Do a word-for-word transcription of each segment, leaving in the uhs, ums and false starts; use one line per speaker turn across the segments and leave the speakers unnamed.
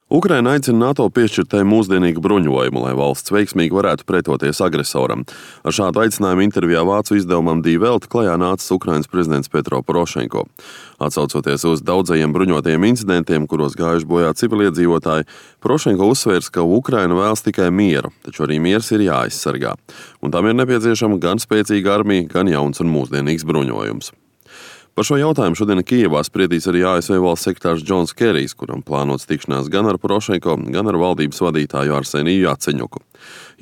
Ukraina aicina NATO piešķirt tai mūsdienīgu bruņojumu, lai valsts veiksmīgi varētu pretoties agresoram. Ar šādu aicinājumu intervijā vācu izdevumam Die Welt klajā nācis Ukrainas prezidents Petro Porošenko. Atsaucoties uz daudzajiem bruņotajiem incidentiem, kuros gājuši bojā civiliedzīvotāji, Porošenko uzsvērs, ka Ukraina vēlas tikai mieru, taču arī miers ir jāaizsargā. Un tam ir nepieciešama gan spēcīga armija, gan jauns un mūsdienīgs bruņojums. Par šo jautājumu šodien Kijevā spriedīs arī A S V valsts sekretārs Džons Kerijs, kuram plānots tikšanās gan ar Porošenko, gan ar valdības vadītāju Arseniju Jaceņuku.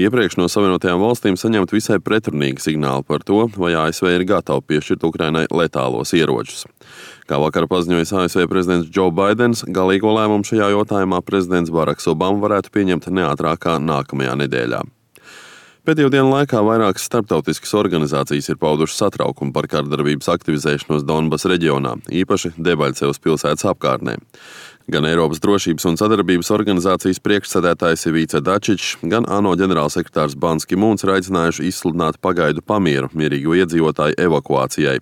Iepriekš no Savienotajām valstīm saņemt visai pretrunīgi signāli par to, vai A S V ir gatava piešķirt Ukrainai letālos ieročus. Kā vakar paziņojis A S V prezidents Joe Baidens, galīgo lēmumu šajā jautājumā prezidents Baraks Obama varētu pieņemt neātrākā nākamajā nedēļā. Pēdējo dienu laikā vairākas starptautiskas organizācijas ir paudušas satraukumu par kardarbības aktivizēšanos Donbas reģionā, īpaši Debaļcevas pilsētas apkārtnē. Gan Eiropas drošības un sadarbības organizācijas priekšsēdētājs Ivica Dačičs, gan ANO ģenerālsekretārs Ban Ki-mūns ir aicinājuši izsludināt pagaidu pamieru mierīgo iedzīvotāju evakuācijai.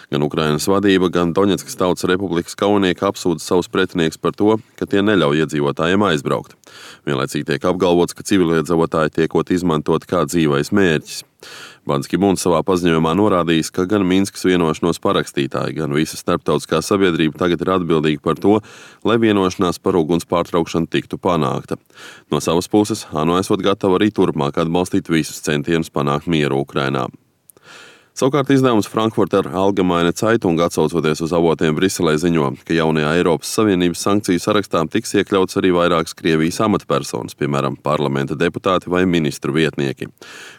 Gan Ukrainas vadība, gan Doņetskas Tautas Republikas kaujinieki apsūdz savus pretinieks par to, ka tie neļauj iedzīvotājiem aizbraukt. Vienlaicīgi tiek apgalvots, ka civiliedzīvotāji tiekot izmantot kā dzīvais mērķis. Ban Ki-mūns savā paziņojumā norādījis, ka gan Minskas vienošanos parakstītāji, gan visa starptautiskā sabiedrība tagad ir atbildīga par to, lai vienošanās par uguns pārtraukšanu tiktu panākta. No savas puses, ANO esot gatava arī turpmāk atbalstīt visus centienus panākt mieru Ukrainā. Savukārt izdevums Frankfurter Allgemeine Zeitung, atsaucoties uz avotiem Briselē, ziņo, ka jaunajā Eiropas Savienības sankciju sarakstā tiks iekļauts arī vairākas Krievijas amatpersonas, piemēram, parlamenta deputāti vai ministru vietnieki.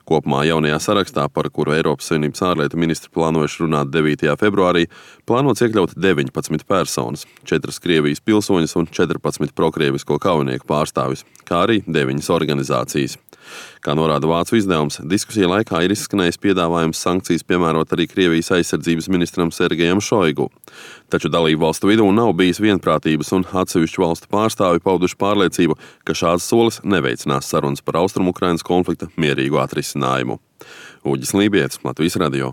Kopumā jaunajā sarakstā, par kuru Eiropas Savienības ārlietu ministri plānojuši runāt devītajā februārī, plānots iekļaut deviņpadsmit personas, četras Krievijas pilsoņas un četrpadsmit prokrievisko kaujinieku pārstāvis, kā arī deviņas organizācijas. Kā norāda vācu izdevums, diskusija laikā ir izskanējis piedāvājums sankcijas piemērot arī Krievijas aizsardzības ministram Sergejam Šoigu. Taču dalību valstu vidū nav bijis vienprātības un atsevišķu valstu pārstāvi pauduši pārliecību, ka šāds solis neveicinās sarunas par Austrumu Ukrainas konflikta mierīgu atrisinājumu. Uģis Lībietis, Latvijas radio.